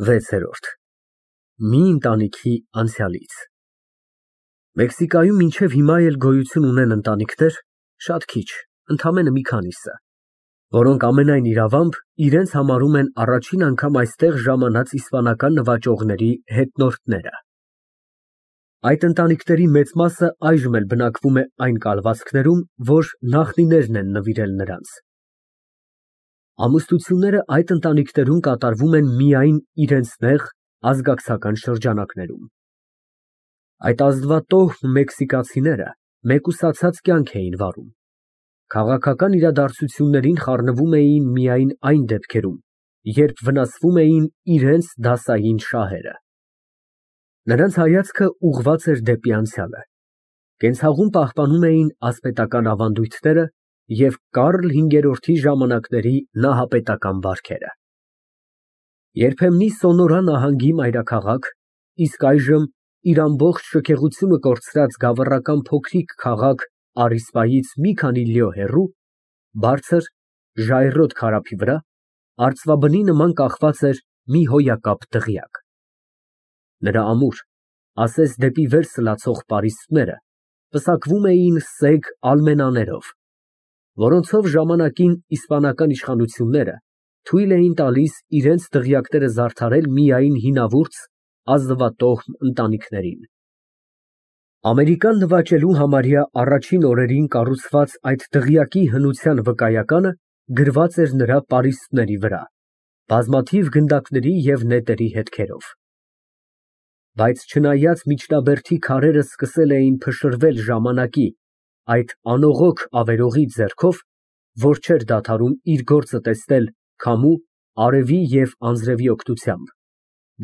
6-րդ Մի ընտանիքի անցյալից Մեքսիկայում մինչև հիմա էլ գոյություն ունեն ընտանիքներ, շատ քիչ, ընդամենը մի քանիսը, որոնք ամենայն իրավամբ իրենց համարում են առաջին անգամ այստեղ ժամանած իսպանական նվաճողների հետնորդները։ Այդ ընտանիքների մեծ մասը այժմ էլ բնակվում է այն կալվածքներում, որ նախնիներն են նվիրել նրանց։ Ամուսնությունները այդ ընտանիքներում կատարվում են միայն իրենց նեղ ազգակցական շրջանակներում։ Այդ ազնվատոհ մեքսիկացիները մեկուսացած կյանք էին վարում։ Քաղաքական իրադարձություններին խառնվում էին միայն այն դեպքերում, երբ վնասվում էին իրենց դասային շահերը։ Նրանց հայացքը ուղղված էր դեպի անցյալը։ Կենցաղում պահպանում էին ասպետական ավանդույթները և Կարլ V-ի ժամանակների նահապետական բարքերը։ Երբեմնի Սոնորա նահանգի մայրաքաղաք, իսկ այժմ իր ամբողջ շքեղությունը կորցրած գավառական փոքրիկ քաղաք Արիսպայից մի քանի լյո հեռու, բարձր, ժայռոտ քարափի վրա, արծվաբնի նման կախված էր մի հոյակապ դղյակ։ Նրա ամուր, ասես դեպի վեր սլացող պարիսպները պսակվում էին սեկ ալմենաներով, որոնցով ժամանակին իսպանական իշխանությունները թույլ էին տալիս իրենց դղյակները զարդարել միայն հինավուրց, ազնվատոհ ընտանիքներին։ Ամերիկան նվաճելու համարյա առաջին օրերին կառուցված այդ դղյակի հնության վկայականը գրված էր նրա պարիսպների վրա, բազմաթիվ գնդակների և նետերի հետքերով։ Բայց չնայած միջնաբերդի քարերը սկսել էին փշրվել ժամանակի այդ անողոք ավերողի ձեռքով, որ չէր դադարում իր գործը տեսնել քամու, արևի և անձրևի օգնությամբ,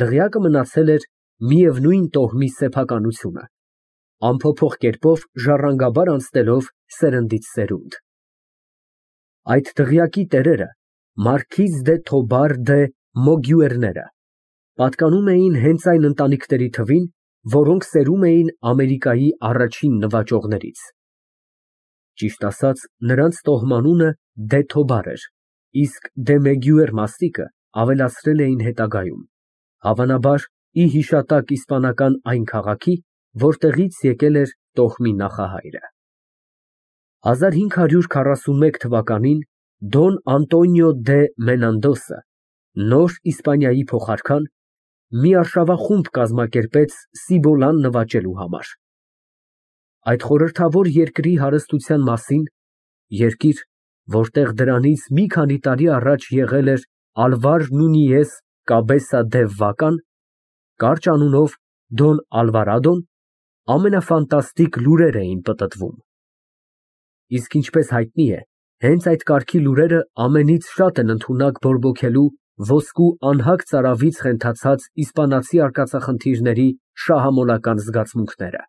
դղյակը մնացել էր միևնույն տոհմի սեփականությունը, անփոփոխ կերպով ժառանգաբար անցնելով սերնդից սերունդ։ Այդ դղյակի տերերը Մարքիզ դե Թոբար դե Մոգյուերները պատկանում էին հենց այն ընտանիքների թվին, որոնք սերում էին Ամերիկայի առաջին նվաճողներից։ Ճիշտ ասած, նրանց տոհմանունը դե Թոբար էր, իսկ դե Մեգյուեր մաստիկը ավելացրել էին հետագայում, հավանաբար ի հիշատակ իսպանական այն քաղաքի, որտեղից եկել էր տոհմի նախահայրը։ 1541 թվականին Դոն Անտոնիո դե Մենանդոսը, նոր Իսպանիայի փոխարքան, մի արշավախումբ կազմակերպեց Սիբոլան նվաճելու համար։ Այդ խորհրդավոր երկրի հարստության մասին, երկիր, որտեղ դրանից մի քանի տարի առաջ եղել էր Ալվար Նունիես Կաբեսա դե Վական, կարճ անունով Դոն Ալվարադոն, ամենաֆանտաստիկ լուրեր էին պտտվում։ Իսկ ինչպես հայտնի է, հենց այդ կարգի լուրերը ամենից շատ են ընդունակ բորբոքելու ոսկու անհագ ծարավից խենթացած իսպանացի արկածախնդիրների շահամոլական զգացմունքները։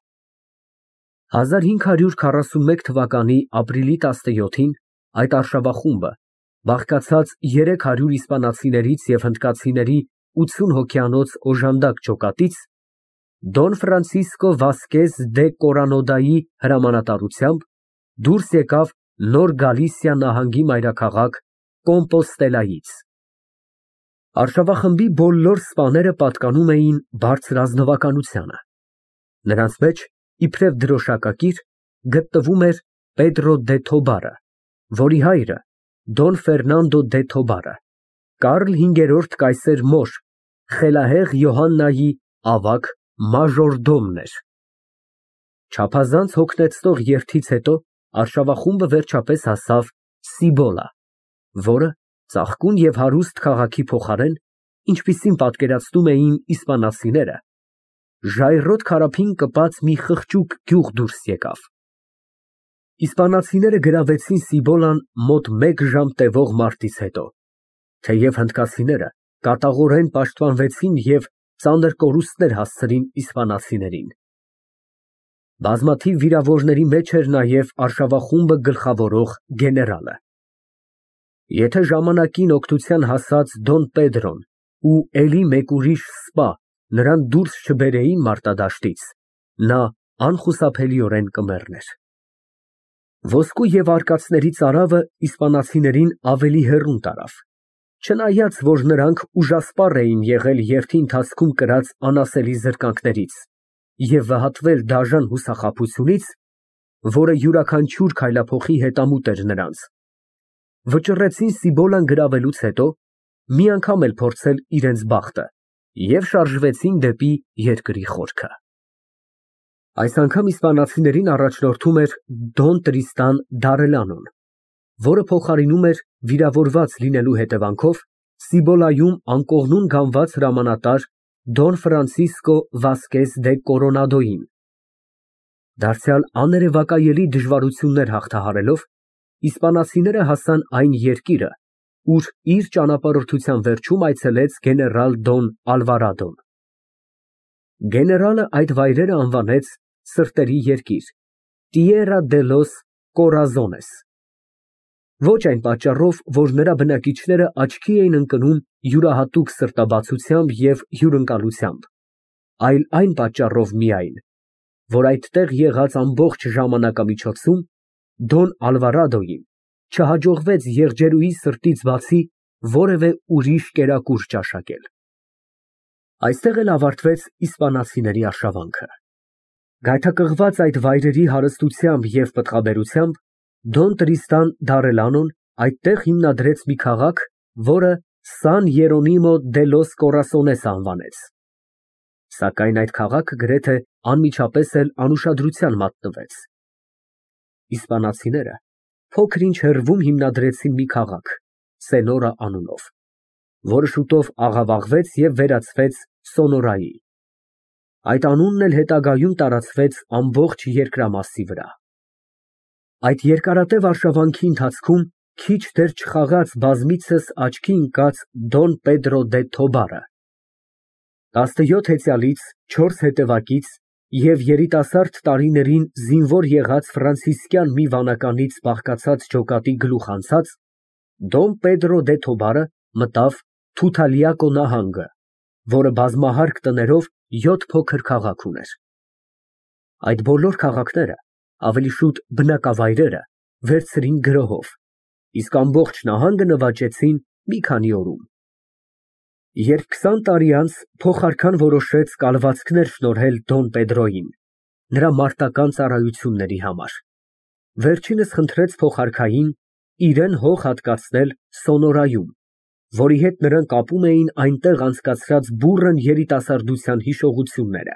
1541 թվականի ապրիլի 17-ին այդ արշավախումբը, բաղկացած 300 իսպանացիներից և հնդկացիների 80 հոգյանոց օժանդակ ջոկատից, Դոն Ֆրանցիսկո Վասկեզ դե Կորանոդայի հրամանատարությամբ դուրս եկավ Նոր Գալիսիա նահանգի մայրաքաղաք Կոմպոստելայից։ Արշավախմբի բոլոր սպաները պատկանում էին բարձր ազնվականությանը։ Նրանց մեջ, իբրև դրոշակակիր, գտնվում էր Պեդրո դե Թոբարը, որի հայրը Դոն Ֆերնանդո դե Թոբարը, Կարլ V կայսեր մոր, խելահեղ Յոհաննայի ավագ մաժորդոմն էր։ Չափազանց հոգնեցնող երթից հետո արշավախումբը վերջապես հասավ Սիբոլա, որը ծաղկուն և հարուստ քաղաքի փոխարեն, ինչպիսին պատկերացնում էին իսպանացիները, ժայռոտ քարափին կպած մի խղճուկ գյուղ դուրս եկավ։ Իսպանացիները գրավեցին Սիբոլան մոտ մեկ ժամ տևող մարտից հետո, թեև հնդկացիները կատաղորեն պաշտպանվեցին և ծանր կորուստներ հասցրին իսպանացիներին։ Բազմաթիվ վիրավորների մեջ էր նաև արշավախումբը գլխավորող գեներալը։ Եթե ժամանակին օգնության հասած Դոն Պեդրոն ու էլի մեկ ուրիշ սպա նրան դուրս չբերեին մարտադաշտից, նա անխուսափելիորեն կմեռներ։ Ոսկու և արկածների ծարավը իսպանացիներին ավելի հեռուն տարավ, Չնայած, որ նրանք ուժասպառ էին եղել երթի ընթացքում կրած անասելի զրկանքներից և վհատվել դաժան հուսախաբությունից, որը յուրաքանչյուր քայլափոխի հետամուտ էր նրանց, վճռեցին Սիբոլան գրավելուց հետո մի անգամ էլ փորձել իրենց բախտը և շարժվեցին դեպի երկրի խորքը։ Այս անգամ իսպանացիներին առաջնորդում էր Դոն Տրիստան դ'Արելանոն, որը փոխարինում էր վիրավորված լինելու հետևանքով Սիբոլայում անկողնուն գանված հրամանատար Դոն Ֆրանցիսկո Վասկես դե Կորոնադոյին։ Դարձյալ աներևակայելի դժվարություններ հաղթահարելով, իսպանացիները հասան այն երկիրը, ուր իր ճանապարհորդության վերջում այցելեց գեներալ Դոն Ալվարադոն։ Գեներալը այդ վայրերը անվանեց սրտերի երկիր (Tierra de los Corazones), ոչ այն պատճառով, որ նրա բնակիչները աչքի էին ընկնում յուրահատուկ սրտաբացությամբ և հյուրընկալությամբ, այլ այն պատճառով միայն, որ այդտեղ եղած ամբողջ ժամանակամիջոցում Դոն Ալվարադոյին չհաջողվեց եղջերուի սրտից բացի որևէ ուրիշ կերակուր ճաշակել։ Այստեղ էլ ավարտվեց իսպանացիների արշավանքը։ Գայթակղված այդ վայրերի հարստությամբ և պտղաբերությամբ, Դոն Տրիստան դ'Արելանոն այդտեղ հիմնադրեց մի քաղաք, որը Սան Երոնիմո դե լոս Կորասոնես անվանեց։ Սակայն այդ քաղաքը գրեթե անմիջապես էլ անուշադրության մատնվեց։ Իսպանացիները փոքր-ինչ հեռվում հիմնադրեցին մի քաղաք Սենորա անունով, որը շուտով աղավաղվեց և վերածվեց Սոնորայի։ Այդ անունն էլ հետագայում տարածվեց ամբողջ երկրամասի վրա։ Այդ երկարատև արշավանքի ընթացքում քիչ դեռ չխաղաց բազմիցս աչքի ընկած Դոն Պեդրո դե Թոբարը, 17 հեծյալից 4 հետևակից և երիտասարդ տարիներին զինվոր եղած ֆրանցիսկյան մի վանականից բաղկացած ջոկատի գլուխ անցած, Դոն Պեդրո դե Թոբարը մտավ Թութալիակո նահանգը, որը բազմահարկ տներով 7 փոքր քաղաք ուներ։ Այդ բոլոր քաղաքները, ավելի շուտ բնակավայրերը, վերցրին գրոհով, իսկ ամբողջ նահանգը նվաճեցին մի քանի օրում։ Երբ 20 տարի անց փոխարքան որոշեց կալվածքներ շնորհել Դոն Պեդրոյին նրա մարտական ծառայությունների համար, վերջինս խնդրեց փոխարքային իրեն հող հատկացնել Սոնորայում, որի հետ նրան կապում էին այնտեղ անցկացրած բուռն երիտասարդության հիշողությունները,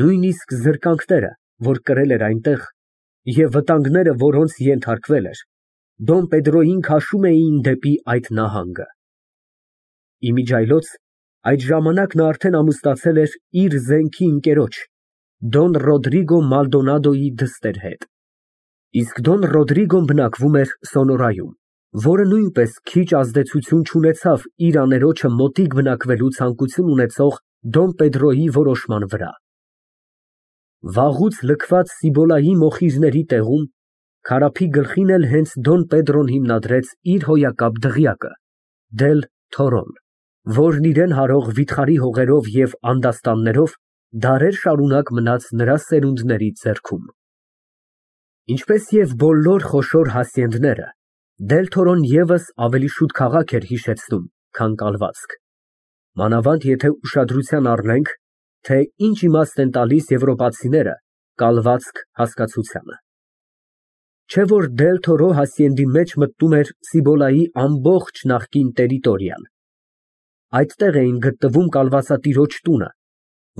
նույնիսկ զրկանքները, որ կրել էր այնտեղ, և վտանգները, որոնց ենթարկվել էր, Դոն Պեդրոյին քաշում էին դեպի այդ նահանգը։ Իմիջիայլոց այդ ժամանակ նա արդեն ամուսնացել էր իր զենքի ընկերոջ Դոն Ռոդրիգո Մալդոնադոյի դստեր հետ, իսկ Դոն Ռոդրիգոն բնակվում էր Սոնորայում, որը նույնպես քիչ ազդեցություն չունեցավ իր աներոջը մոտիկ բնակվելու ցանկություն ունեցող Դոն Պեդրոյի որոշման վրա։ Վաղուց լքված Սիբոլայի մոխիրների տեղում քարափի գլխին էլ հենց Դոն Պեդրոն հիմնադրեց իր հոյակապ դղյակը Դել Թորոն, որն իրեն հարող վիթխարի հողերով և անդաստաններով դարեր շարունակ մնաց նրա սերունդների ձեռքում։ Ինչպես և բոլոր խոշոր հասցենդները, Դել Թորոն ևս ավելի շուտ քաղաք էր հիշեցնում, քան կալվածք, մանավանդ եթե ուշադրության առնենք, թե ինչ իմաստ են տալիս եվրոպացիները կալվածք հասկացությանը։ Չէ որ Դել Թորո հասցենդի մեջ մտնում էր Սիբոլայի ամբողջ նախկին տերիտորիան։ Այդտեղ էին գտնվում կալվածատիրոջ տունը,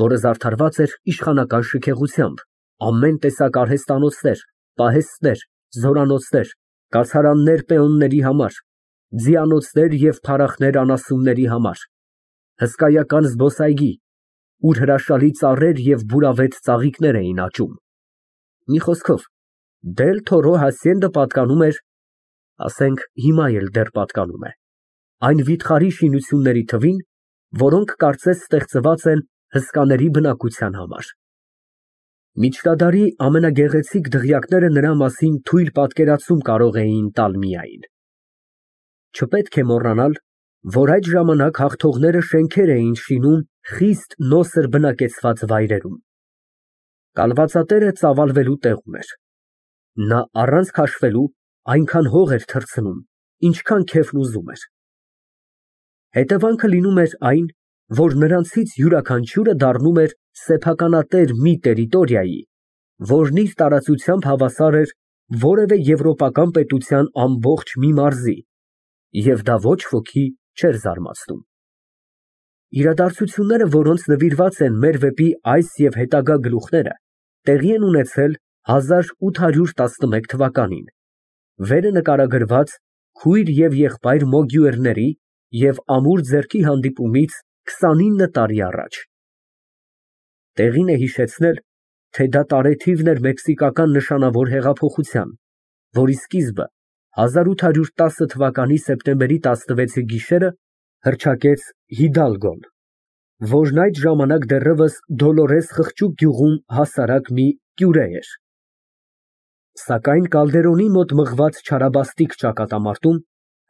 որը զարդարված էր իշխանական շքեղությամբ, ամեն տեսակ արհեստանոցներ, պահեստներ, զորանոցներ, կացարաններ պեոնների համար, ձիանոցներ և փառախներ անասունների համար, հսկայական զբոսայգի, ուր հրաշալի ծառեր և բուրավետ ծաղիկներ էին աճում։ Մի խոսքով, Դել Թորո հասցենդը պատկանում էր, ասենք հիմա էլ դեռ պատկանում է, այն վիթխարի շինությունների թվին, որոնք կարծես ստեղծված են հսկաների բնակության համար։ Միջնադարի ամենագեղեցիկ դղյակները նրա մասին թույլ պատկերացում կարող էին տալ միայն։ Չպետք է մոռանալ, որ այդ ժամանակ հաղթողները շենքեր էին շինում խիստ նոսր բնակեցված վայրերում։ Կալվածատերը ծավալվելու տեղ ուներ։ Նա առանց քաշվելու այնքան հող էր թռցնում, ինչքան քեֆն ուզում էր։ Հետևանքը լինում էր այն, որ նրանցից յուրաքանչյուրը դառնում էր սեփականատեր մի տերիտորիայի, որն իր տարածությամբ հավասար էր որևէ եվրոպական պետության ամբողջ մի մարզի, և դա ոչ ոքի չէր զարմացնում։ Իրադարձությունները, որոնց նվիրված են մեր վեպի այս և հետագա գլուխները, տեղի են ունեցել 1811 թվականին, վերը նկարագրված քույր և եղբայր Մոգյուերների և ամուր ձեռքի հանդիպումից 29 տարի առաջ։ Տեղին է հիշեցնել, թե դա տարեթիվն էր մեքսիկական նշանավոր հեղափոխության, որի սկիզբը 1810 թվականի սեպտեմբերի 16-ի գիշերը հռչակեց Հիդալգոն, որն այդ ժամանակ դեռևս Դոլորես խղճուկ գյուղում հասարակ մի կյուրե էր։ Սակայն Կալդերոնի մոտ մղված չարաբաստիկ ճակատամարտում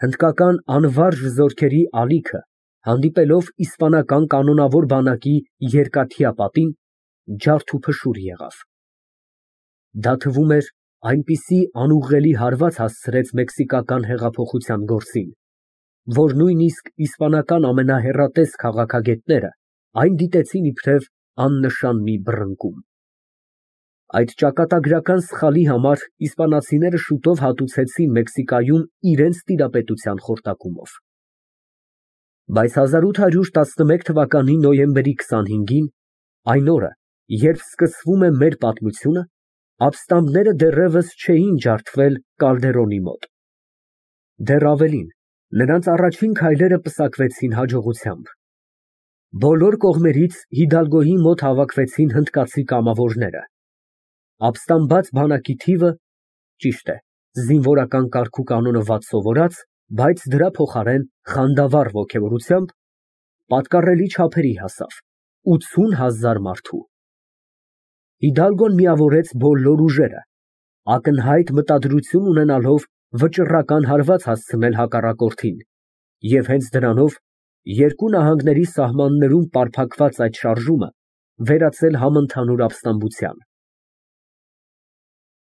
հնդկական անվարժ զորքերի ալիքը, հանդիպելով իսպանական կանոնավոր բանակի երկաթյա պատին, ջարդ ու փշուր եղավ։ Դա թվում էր այնպիսի անուղղելի հարված հասցրեց մեքսիկական հեղափոխության գործին, որ նույնիսկ իսպանական ամենահեռատես քաղաքագետները այն դիտեցին իբրև աննշան մի բռնկում։ Այդ ճակատագրական սխալի համար իսպանացիները շուտով հատուցեցին Մեքսիկայում իրենց տիրապետության խորտակումով։ Բայց 1811 թվականի նոյեմբերի 25-ին, այն օրը, երբ սկսվում է մեր պատմությունը, ապստամբները դեռևս չէին ջարդվել Կալդերոնի մոտ։ Դեռ ավելին, նրանց առաջին քայլերը պսակվեցին հաջողությամբ։ Բոլոր կողմերից Հիդալգոյի մոտ հավաքվեցին հնդկացի կամավորները։ Ապստամբված բանակի թիվը, ճիշտ է, զինվորական կարգուկանոնը վատ սովորած, բայց դրա փոխարեն խանդավառ ոգևորությամբ, պատկառելի չափերի հասավ՝ 80,000 մարդու։ Հիդալգոն միավորեց բոլոր ուժերը, ակնհայտ մտադրություն ունենալով վճռական հարված հասցնել հակառակորդին, և հենց դրանով երկու նահանգների սահմաններում պարփակված այդ շարժումը վերածել համընդհանուր ապստամբության։